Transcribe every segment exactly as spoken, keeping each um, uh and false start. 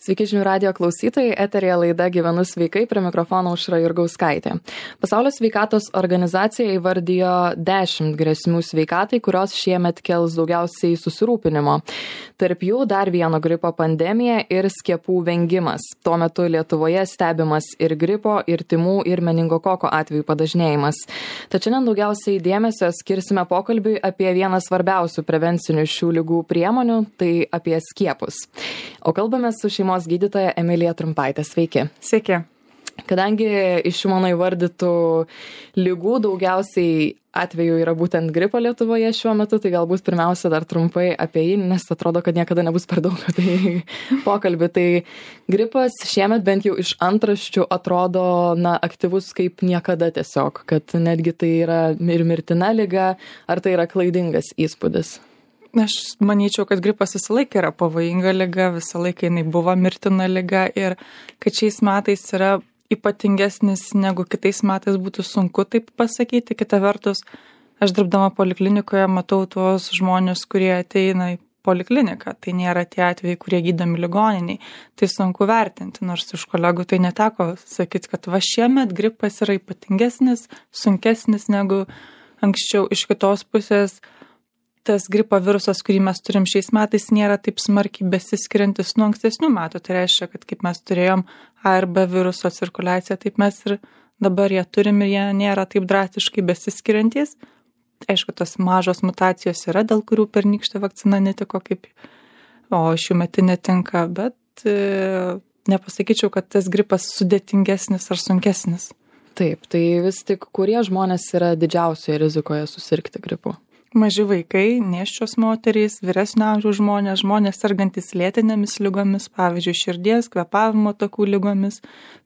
Sveiki žinių radijo klausytojai, eterėje laida Gyvenu sveikai, prie mikrofono Aušra Jurgauskaitė. Pasaulio sveikatos organizacija įvardijo dešimt grėsmių sveikatai, kurios šiemet kels daugiausiai susirūpinimo. Tarp jų dar vieno gripo pandemija ir skiepų vengimas. Tuo metu Lietuvoje stebimas ir gripo, ir tymų, ir meningokoko atvejų padažnėjimas. Tačiau šiandien daugiausiai dėmesio skirsime pokalbiui apie vieną svarbiausių prevencinių šių ligų priemonių, tai apie skiepus. O kalbame su šeimos gydytoja Emilija Trumpaitė. Sveiki. Sveiki. Kadangi iš šių mano įvardytų ligų daugiausiai atvejų yra būtent gripo Lietuvoje šiuo metu, tai galbūt pirmiausia dar trumpai apie jį, nes atrodo, kad niekada nebus per daug apie jį pokalbį. Tai gripas šiemet bent jau iš antraščių atrodo na, aktyvus kaip niekada tiesiog, kad netgi tai yra ir mirtina liga, ar tai yra klaidingas įspūdis? Aš manyčiau, kad gripas visą laiką yra pavojinga liga, visą laiką jinai buvo mirtina liga ir kad šiais metais yra ypatingesnis negu kitais metais būtų sunku taip pasakyti. Kita vertus, aš dirbdama poliklinikoje matau tuos žmonės, kurie ateina į polikliniką. Tai nėra tie atvejai, kurie gydomi ligoniniai. Tai sunku vertinti, nors iš kolegų tai neteko sakyti, kad va šiemet gripas yra ypatingesnis, sunkesnis negu anksčiau. Iš kitos pusės, tas gripo virusas, kurį mes turim šiais metais, nėra taip smarkiai besiskiriantis nuo ankstesnių metų. Tai reiškia, kad kaip mes turėjom A ir B viruso cirkuliaciją, taip mes ir dabar jie turim ir jie nėra taip drastiškai besiskiriantys. Aišku, tos mažos mutacijos yra, dėl kurių pernykštė vakcina netiko, kaip, o šiuo metu netinka, bet e, nepasakyčiau, kad tas gripas sudėtingesnis ar sunkesnis. Taip, tai vis tik kurie žmonės yra didžiausioje rizikoje susirgti gripu? Maži vaikai, nėščios moterys, vyresnio amžiaus žmonės, žmonės sergantys lėtinėmis ligomis, pavyzdžiui, širdies, kvėpavimo takų ligomis,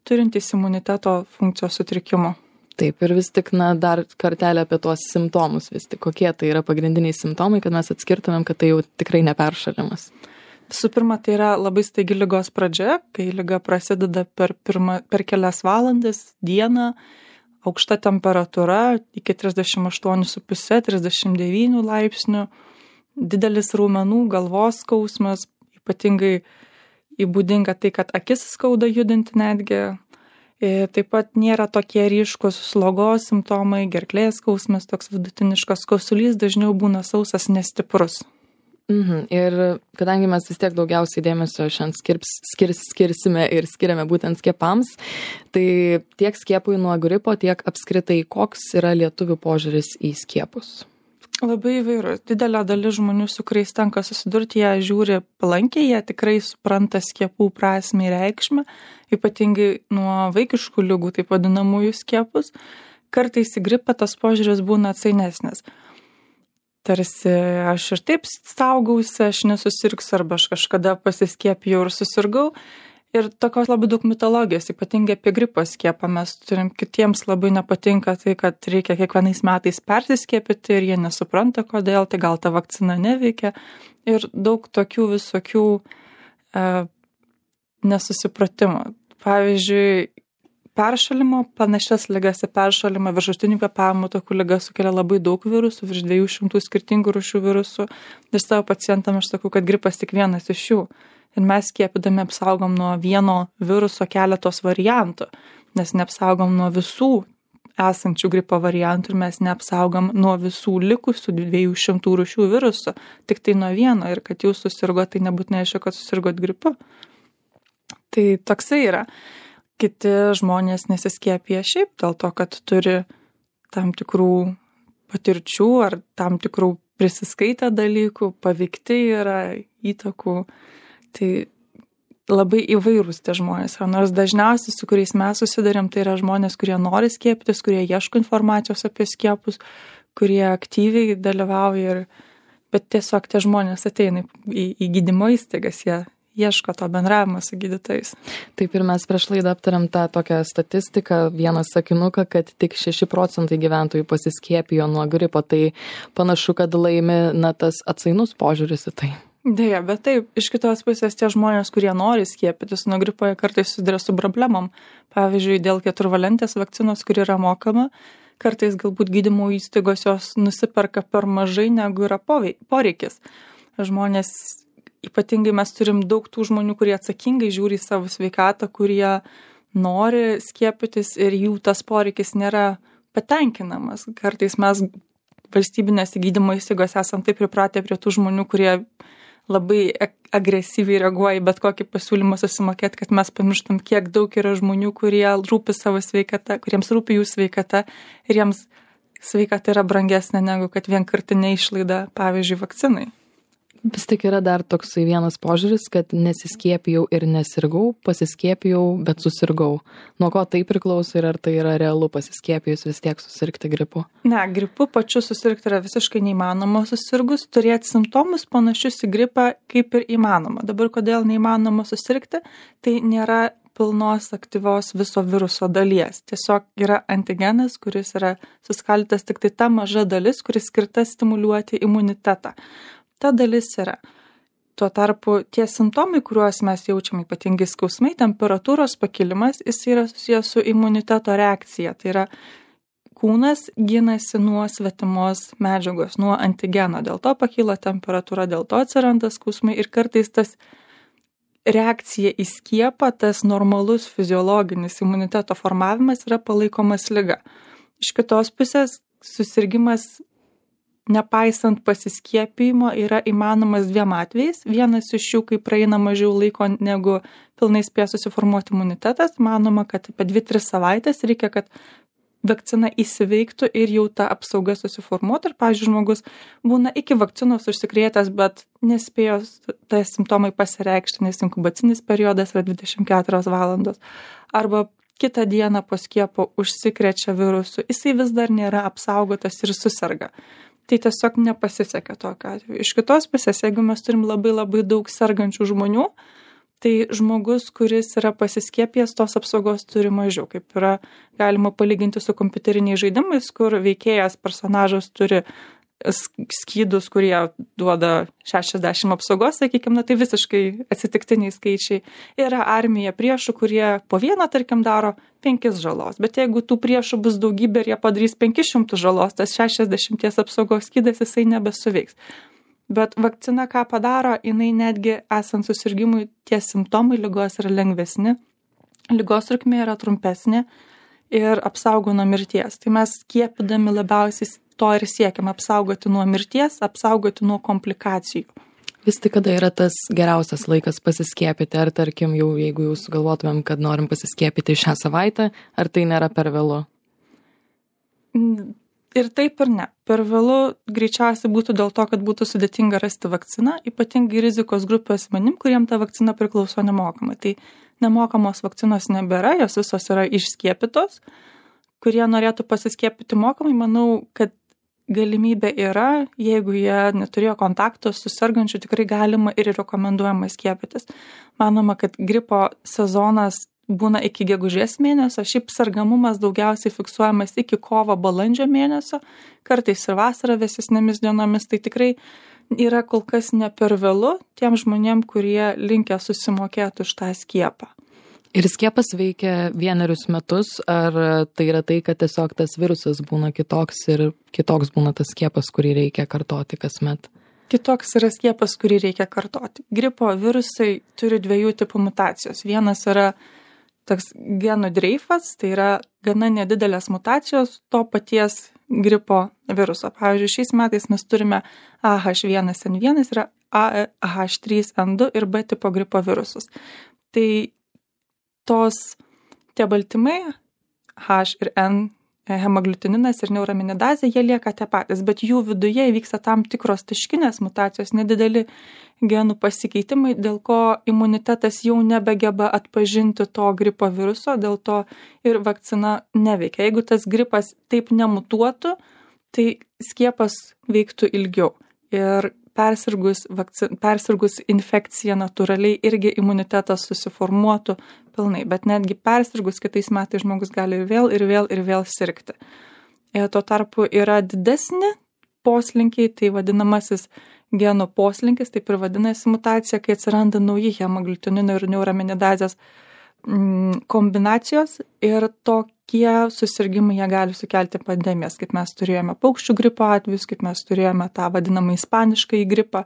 turintys imuniteto funkcijos sutrikimų. Taip, ir vis tik, na, dar kartelę apie tuos simptomus, vis tik kokie tai yra pagrindiniai simptomai, kad mes atskirtumėm, kad tai jau tikrai neperšalimas. Visų pirma, tai yra labai staigi ligos pradžia, kai liga prasideda per, pirma, per kelias valandas, dieną, aukšta temperatūra iki trisdešimt aštuoni su puse - trisdešimt devyni laipsnių, didelis raumenų, galvos skausmas, ypatingai įbūdinga tai, kad akis skauda judinti netgi. Ir taip pat nėra tokie ryškus slogos simptomai, gerklės skausmas, toks vidutiniškas kosulys, dažniau būna sausas, nestiprus. Mhm. Ir kadangi mes vis tiek daugiausiai dėmesio šiandien skirs, skirs, skirsime ir skiriame būtent skiepams, tai tiek skiepui nuo gripo, tiek apskritai koks yra lietuvių požiūris į skiepus? Labai įvairus. Didelė dalis žmonių, su kuriais tenka susidurti, jie žiūri palankiai, jie tikrai supranta skiepų prasmę ir reikšmę, ypatingai nuo vaikiškų ligų, taip vadinamųjų skiepus. Kartais į gripą tas požiūris būna atsainesnis. Tarsi aš ir taip saugausi, aš nesusirgsiu, arba aš kažkada pasiskiepijau ir susirgau. Ir tokios labai daug mitologijos, ypatingai apie gripo skiepą mes turim, kitiems labai nepatinka tai, kad reikia kiekvienais metais persiskiepyti ir jie nesupranta kodėl, tai gal ta vakcina neveikia. Ir daug tokių visokių e, nesusipratimų. Pavyzdžiui, peršalimo, panašias ligas į peršalimą, viršutinių kvėpavimo takų ligas sukelia labai daug virusų, virš dviejų šimtų skirtingų rūšių virusų. Ir savo pacientam aš sakau, kad gripas tik vienas iš jų. Ir mes skiepydami apsaugom nuo vieno viruso keletos variantų, nes neapsaugom nuo visų esančių gripo variantų ir mes neapsaugom nuo visų likusių dviejų šimtų rūšių virusų, tik tai nuo vieno. Ir kad jūs susirgot, tai nebūtinai reiškia, kad susirgot gripu. Tai toksai yra. Kiti žmonės nesiskiepija šiaip dėl to, kad turi tam tikrų patirčių ar tam tikrų prisiskaitę dalykų, paveikti yra įtakų. Tai labai įvairūs tie žmonės. Nors dažniausiai, su kuriais mes susidarėm, tai yra žmonės, kurie nori skiepytis, kurie ieško informacijos apie skiepus, kurie aktyviai dalyvauja. Ir, bet tiesiog tie žmonės ateina į, į gydymo įstaigas, jie ieško to bendravimo su gydytojais. Taip, ir mes prieš laidą aptariam tą tokią statistiką, vieną sakinuką, kad tik šeši procentai gyventojų pasiskiepijo nuo gripo, tai panašu, kad laimi na, tas atsainus požiūris į tai. Deja, bet taip, iš kitos pusės tie žmonės, kurie nori skiepytis nuo gripo, jie kartais susiduria su problemom. Pavyzdžiui, dėl keturvalentės vakcinos, kuri yra mokama, kartais galbūt gydymo įstaigos jos nusiperka per mažai, negu yra poreikis. Žmonės ypatingai mes turim daug tų žmonių, kurie atsakingai žiūri į savo sveikatą, kurie nori skiepytis ir jų tas poreikis nėra patenkinamas. Kartais mes valstybinėse gydymo įstaigose esam taip pripratę prie tų žmonių, kurie labai agresyviai reaguoja į bet kokį pasiūlymą susimokėti, kad mes pamirštam, kiek daug yra žmonių, kurie rūpi savo sveikata, kuriems rūpi jų sveikata ir jiems sveikata yra brangesnė negu kad vienkartinė išlaida, pavyzdžiui, vakcinai. Vis tik yra dar toksai vienas požiūris, kad nesiskiepijau ir nesirgau, pasiskiepijau, bet susirgau. Nuo ko tai priklauso ir ar tai yra realu pasiskiepijus vis tiek susirgti gripu? Ne, gripu pačiu susirgti yra visiškai neįmanoma susirgus, turėti simptomus panašius į gripą kaip ir įmanoma. Dabar kodėl neįmanoma susirgti, tai nėra pilnos aktyvios viso viruso dalies. Tiesiog yra antigenas, kuris yra suskaldytas tik tai ta maža dalis, kuris skirta stimuliuoti imunitetą. Ta dalis yra. Tuo tarpu tie simptomai, kuriuos mes jaučiam, ypatingai skausmai, temperatūros pakilimas, jis yra susijęs su imuniteto reakcija. Tai yra kūnas ginasi nuo svetimos medžiagos, nuo antigeno. Dėl to pakyla temperatūra, dėl to atsiranda skausmai ir kartais tas reakcija į skiepą, tas normalus fiziologinis imuniteto formavimas yra palaikomas liga. Iš kitos pusės susirgimas nepaisant pasiskiepijimo yra įmanomas dviem atvejais. Vienas iš jų, kai praeina mažiau laiko negu pilnai spės susiformuoti imunitetas, manoma, kad apie dvi tris savaitės reikia, kad vakcina įsiveiktų ir jau ta apsauga susiformuotų. Ir, pavyzdžiui, žmogus būna iki vakcinos užsikrėtęs, bet nespėjo tai simptomai pasireikšti, nes inkubacinis periodas yra dvidešimt keturios valandos. Arba kitą dieną po skiepo užsikrečia virusu, jisai vis dar nėra apsaugotas ir susirga. Tai tiesiog nepasisekė tokio atveju. Iš kitos pusės, jeigu mes turim labai labai daug sergančių žmonių, tai žmogus, kuris yra pasiskiepijęs, tos apsaugos turi mažiau. Kaip yra galima palyginti su kompiuteriniais žaidimais, kur veikėjas, personažas turi skydus, kurie duoda šešiasdešimt apsaugos, sakykime, na, tai visiškai atsitiktiniai skaičiai. Yra armija priešų, kurie po vieną, tarkim, daro penkis žalos. Bet jeigu tų priešų bus daugybė ir jie padarys penkis šimtus žalos, tas šešiasdešimties apsaugos skydas jisai nebesuveiks. Bet vakcina ką padaro, jinai netgi esant susirgimui, tie simptomai ligos yra lengvesni, ligos trukmė yra trumpesnė ir apsaugo nuo mirties. Tai mes skiepydami labiausiai to ir siekiam apsaugoti nuo mirties, apsaugoti nuo komplikacijų. Vis tik kada yra tas geriausias laikas pasiskiepyti, ar tarkim jau jeigu jau sugalvotumėm, kad norim pasiskiepyti šią savaitę, ar tai nėra per vėlu? Ir taip ir ne. Per vėlu greičiausiai būtų dėl to, kad būtų sudėtinga rasti vakciną, ypatingai rizikos grupės asmenim, kuriem ta vakcina priklauso nemokamai. Tai nemokamos vakcinos nebėra, jos visos yra išskiepytos. Kurie norėtų pasiskiepyti mokamai, manau, kad galimybė yra, jeigu jie neturėjo kontakto su sergančiu, tikrai galima ir rekomenduojama skiepytis. Manoma, kad gripo sezonas būna iki gegužės mėnesio, šiaip sergamumas daugiausiai fiksuojamas iki kovo balandžio mėnesio, kartais ir vasarą vėsesnėmis dienomis, tai tikrai yra kol kas ne per vėlu tiem žmonėm, kurie linkę susimokėti už tą skiepą. Ir skiepas veikia vienerius metus, ar tai yra tai, kad tiesiog tas virusas būna kitoks ir kitoks būna tas skiepas, kurį reikia kartoti kasmet? Kitoks yra skiepas, kurį reikia kartoti. Gripo virusai turi dviejų tipų mutacijos. Vienas yra toks genų dreifas, tai yra gana nedidelės mutacijos to paties gripo viruso. Pavyzdžiui, šiais metais mes turime A H vienas N vienas, yra A H trys N du ir B tipo gripo virusus. Tai tos tie baltymai H ir N, hemaglutininas ir neuraminidazė, jie lieka tie patys, bet jų viduje įvyksta tam tikros taškinės mutacijos, nedideli genų pasikeitimai, dėl ko imunitetas jau nebegeba atpažinti to gripo viruso, dėl to ir vakcina neveikia. Jeigu tas gripas taip nemutuotų, tai skiepas veiktų ilgiau. Ir persirgus, vakcin, persirgus infekcija natūraliai irgi imunitetas susiformuotų pilnai, bet netgi persirgus kitais metais žmogus gali ir vėl, ir vėl, ir vėl sirgti. Ir tuo tarpu yra didesni poslinkiai, tai vadinamasis genų poslinkis, taip ir vadinasi mutacija, kai atsiranda nauji hemaglutininio ir neuraminidazės kombinacijos ir tokie susirgimai jie gali sukelti pandemijas, kaip mes turėjome paukščių gripo atvejus, kaip mes turėjome tą vadinamą ispaniškąjį gripą.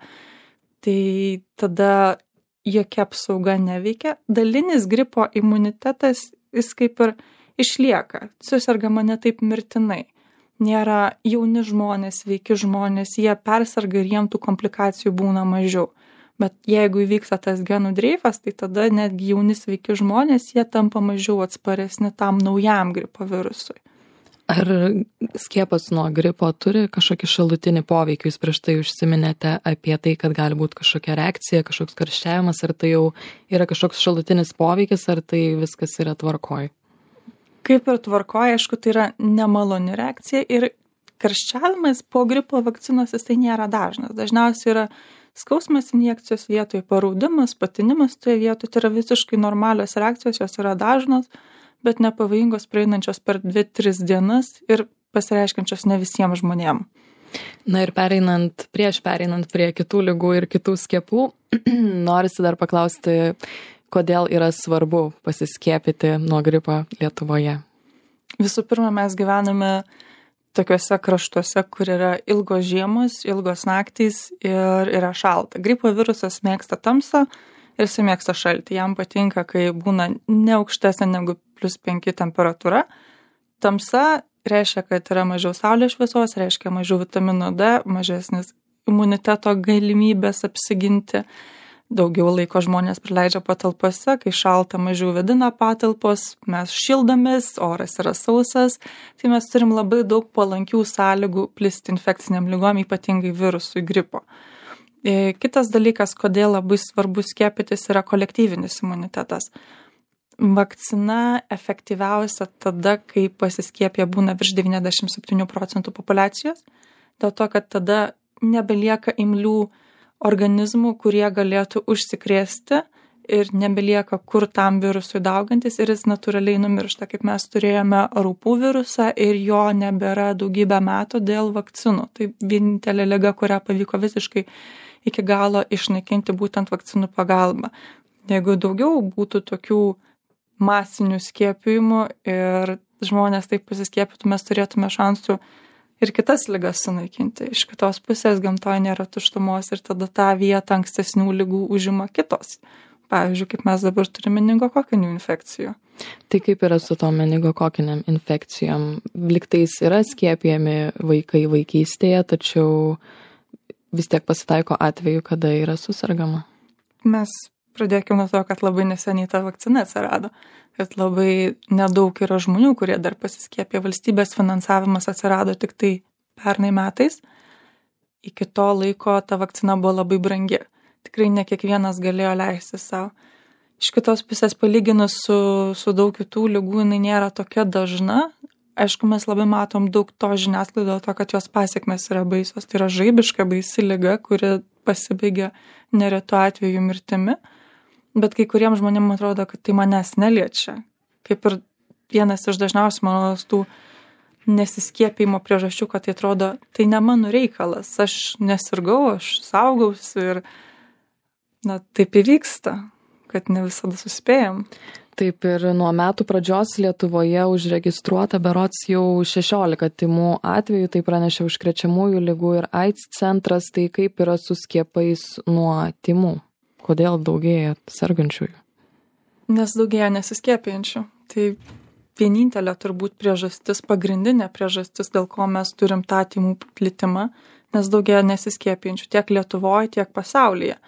tai tada jokia apsauga neveikia. Dalinis gripo imunitetas, jis kaip ir išlieka, susergama ne taip mirtinai. Nėra jauni žmonės, sveiki žmonės, jie persarga ir jiem tų komplikacijų būna mažiau. Bet jeigu įvyksta tas genų dreifas, tai tada netgi jauni sveiki žmonės, jie tampa mažiau atsparesni tam naujam gripo virusui. Ar skiepas nuo gripo turi kažkokį šalutinį poveikį? Jūs prieš tai užsiminėte apie tai, kad gali būti kažkokia reakcija, kažkoks karščiavimas, ar tai jau yra kažkoks šalutinis poveikis, ar tai viskas yra tvarkoj? Kaip ir tvarkoj, aišku, tai yra nemaloni reakcija ir karščiavimas po gripo vakcinos jis tai nėra dažnas. Dažniausiai yra skausmas injekcijos vietoje, paraudimas, patinimas toje vietoje, tai yra visiškai normalios reakcijos, jos yra dažnos, bet nepavojingos, praeinančios per dvi tris dienas ir pasireiškiančios ne visiems žmonėms. Na ir pereinant, prieš pereinant prie kitų ligų ir kitų skiepų, norisi dar paklausti, kodėl yra svarbu pasiskiepyti nuo gripo Lietuvoje? Visų pirma, mes gyvename tokiuose kraštuose, kur yra ilgos žiemos, ilgos naktys ir yra šalta. Gripo virusas mėgsta tamsą ir jis mėgsta šaltį. Jam patinka, kai būna ne aukštesnė negu plius penki temperatūra. Tamsa reiškia, kad yra mažiau saulės šviesos, reiškia mažiau vitamino D, mažesnis imuniteto galimybės apsiginti. Daugiau laiko žmonės praleidžia patalpose, kai šalta mažiau vėdina patalpos, mes šildomės, oras yra sausas, tai mes turim labai daug palankių sąlygų plisti infekciniam ligom, ypatingai virusui gripo. Kitas dalykas, kodėl labai svarbu skiepytis, yra kolektyvinis imunitetas. Vakcina efektyviausia tada, kai pasiskiepė būna virš devyniasdešimt septyni procentų populiacijos, dėl to, kad tada nebelieka imlių organizmų, kurie galėtų užsikrėsti ir nebelieka kur tam virusui daugantis ir jis natūraliai numiršta, kaip mes turėjome raupų virusą ir jo nebėra daugybę metų dėl vakcinų. Tai vienintelė liga, kurią pavyko visiškai iki galo išnaikinti būtent vakcinų pagalba. Jeigu daugiau būtų tokių masinių skiepijimų ir žmonės taip pasiskiepytų, mes turėtume šansų ir kitas ligas sunaikinti. Iš kitos pusės gamtoje nėra tuštumos ir tada tą vietą ankstesnių ligų užima kitos. Pavyzdžiui, kaip mes dabar turime meningokokinių infekcijų. Tai kaip yra su tom meningokokiniam infekcijom? Liktais yra skiepijami vaikai vaikystėje, tačiau vis tiek pasitaiko atveju, kada yra susirgama. Mes pradėkime nuo to, kad labai neseniai ta vakcina atsirado, kad labai nedaug yra žmonių, kurie dar pasiskiepė. Valstybės finansavimas atsirado tik tai pernai metais. Iki to laiko ta vakcina buvo labai brangi. Tikrai ne kiekvienas galėjo leisti savo. Iš kitos pusės palyginus su, su daug kitų ligų, jinai nėra tokia dažna. Aišku, mes labai matom daug to žiniasklaido, dėl to, kad jos pasiekmes yra baisios. Tai yra žaibiška baisi liga, kuri pasibaigia neretu atveju mirtimi. Bet kai kuriems žmonėms atrodo, kad tai manęs neliečia. Kaip ir vienas iš dažniausių mano tų nesiskiepimo priežasčių, kad tai atrodo, tai ne mano reikalas. Aš nesirgau, aš saugausi ir na, taip įvyksta, kad ne visada suspėjam. Taip ir nuo metų pradžios Lietuvoje užregistruota berods jau šešiolika tymų atvejų, tai pranešė Užkrečiamųjų ligų ir AIDS centras, tai kaip yra su skiepais nuo tymų? Kodėl daugėja sergančiųjų? Nes daugėja nesiskiepijančių. Tai vienintelė turbūt priežastis, pagrindinė priežastis, dėl ko mes turim tą tymų plitimą, nes daugėja nesiskiepijančių tiek Lietuvoje, tiek pasaulyje.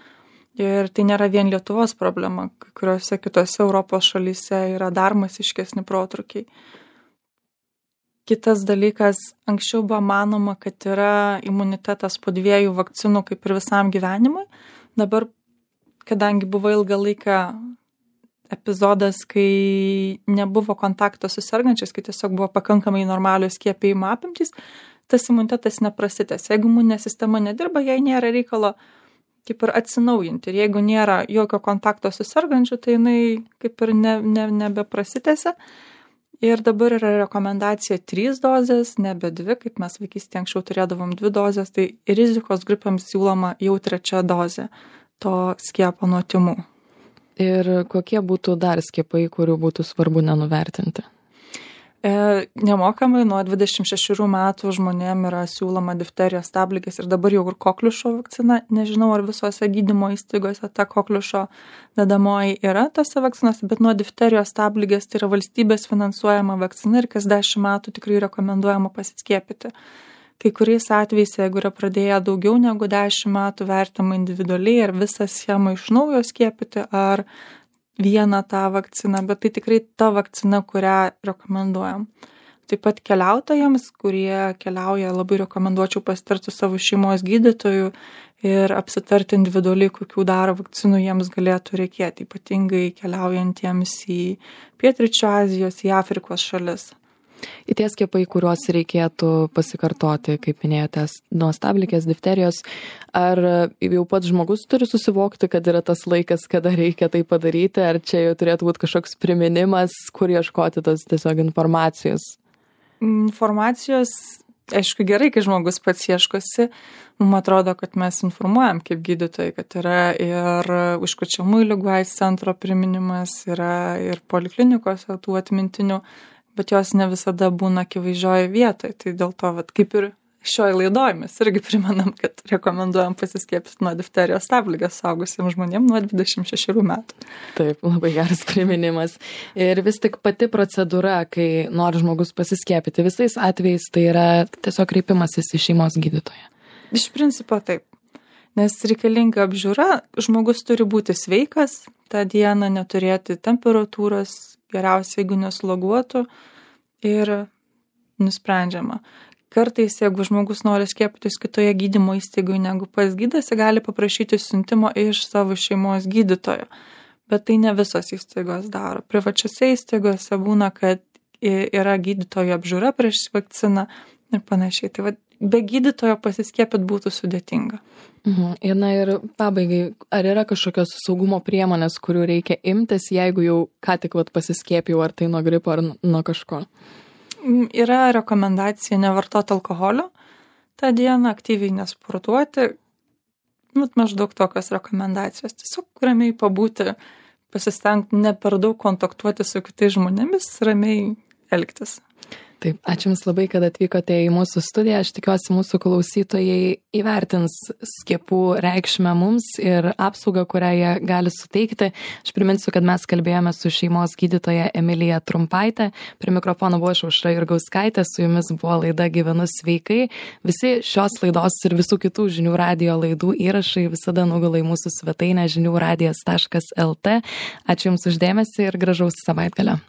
Ir tai nėra vien Lietuvos problema, kai kuriuose kitose Europos šalyse yra dar masiškesni protrukiai. Kitas dalykas, anksčiau buvo manoma, kad yra imunitetas po dviejų vakcinų kaip ir visam gyvenimui. Dabar, kadangi buvo ilgą laiką epizodas, kai nebuvo kontakto su sergančiais, kai tiesiog buvo pakankamai normalios skiepijimo apimtys, tas imunitetas neprasitęs. Jeigu imuninė sistema nedirba, jai nėra reikalo kaip ir atsinaujinti. Ir jeigu nėra jokio kontakto su sergančiu, tai jinai kaip ir ne, ne, nebeprasitęsia. Ir dabar yra rekomendacija trys dozės, nebe dvi, kaip mes vaikystėje anksčiau turėdavom dvi dozės, tai rizikos grupėms siūloma jau trečia dozė to skiepo nuo tymų. Ir kokie būtų dar skiepai, kurių būtų svarbu nenuvertinti? E, nemokamai nuo dvidešimt šešių metų žmonėm yra siūloma difterijos, stabligės ir dabar jau ir kokliušo vakcina. Nežinau, ar visose gydymo įstaigose ta kokliušo dedamoji yra tose vakcinose, bet nuo difterijos, stabligės tai yra valstybės finansuojama vakcina ir kas dešimt metų tikrai rekomenduojama pasiskiepyti. Kai kuriais atvejais, jeigu yra pradėję daugiau negu dešimt metų, vertama individualiai, ar visą schemą iš naujo skiepyti, ar vieną tą vakciną, bet tai tikrai ta vakcina, kurią rekomenduojam. Taip pat keliautojams, kurie keliauja, labai rekomenduočiau pasitarti su savo šeimos gydytoju ir apsitarti individualiai, kokių dar vakcinų jiems galėtų reikėti, ypatingai keliaujantiems į Pietryčių Azijos, į Afrikos šalis. Į tie skiepai, kuriuos reikėtų pasikartoti, kaip minėjote, nuo stabligės, difterijos, ar jau pats žmogus turi susivokti, kad yra tas laikas, kada reikia tai padaryti, ar čia jau turėtų būti kažkoks priminimas, kur ieškoti tos tiesiog informacijos? Informacijos, aišku, gerai, kai žmogus pats ieškosi. Mums atrodo, kad mes informuojam kaip gydytojai, kad yra ir užkrečiamųjų ligų aids centro priminimas, yra ir poliklinikose tų atmintinių, bet jos ne visada būna akivaizdžioje vietoje. Tai dėl to, vat, kaip ir šioje laidoje mes irgi primenam, kad rekomenduojam pasiskiepyti nuo difterijos, stabligės suaugusiems žmonėms nuo dvidešimt šešių metų. Taip, labai geras priminimas. Ir vis tik pati procedūra, kai nori žmogus pasiskiepyti, visais atvejais tai yra tiesiog kreipimasis į šeimos gydytoją. Iš principo taip. Nes reikalinga apžiūra, žmogus turi būti sveikas, tą dieną neturėti temperatūros, geriausia, jeigu nesloguotų, ir nusprendžiama. Kartais, jeigu žmogus nori skiepytis kitoje gydymo įstaigoje negu pas gydasi, gali paprašyti siuntimo iš savo šeimos gydytojo. Bet tai ne visos įstaigos daro. Privačiose įstaigose būna, kad yra gydytojo apžiūra prieš vakciną ir panašiai. Tai va, be gydytojo pasiskiepyti būtų sudėtinga. Mhm. Ir, na, ir pabaigai, ar yra kažkokios saugumo priemonės, kurių reikia imtis, jeigu jau ką tik vat, pasiskiepijau, ar tai nuo gripo, ar nuo kažko? Yra rekomendacija nevartoti alkoholio tą dieną, aktyviai nesportuoti. Nu, maždaug tokios rekomendacijos. Tiesiog ramiai pabūti, pasistengti ne per daug kontaktuoti su kitais žmonėmis, ramiai elgtis. Taip, ačiū Jums labai, kad atvykote į mūsų studiją. Aš tikiuosi, mūsų klausytojai įvertins skiepų reikšmę mums ir apsaugą, kurią jie gali suteikti. Aš priminsiu, kad mes kalbėjome su šeimos gydytoja Emilija Trumpaitė. Prie mikrofono buvo aš, Aušra Jurgauskaitė, su Jumis buvo laida Gyvenu sveikai. Visi šios laidos ir visų kitų žinių radijo laidų įrašai visada nugula į mūsų svetainę žinių radijas taškas lt. Ačiū Jums už dėmesį ir gražaus savaitgalio.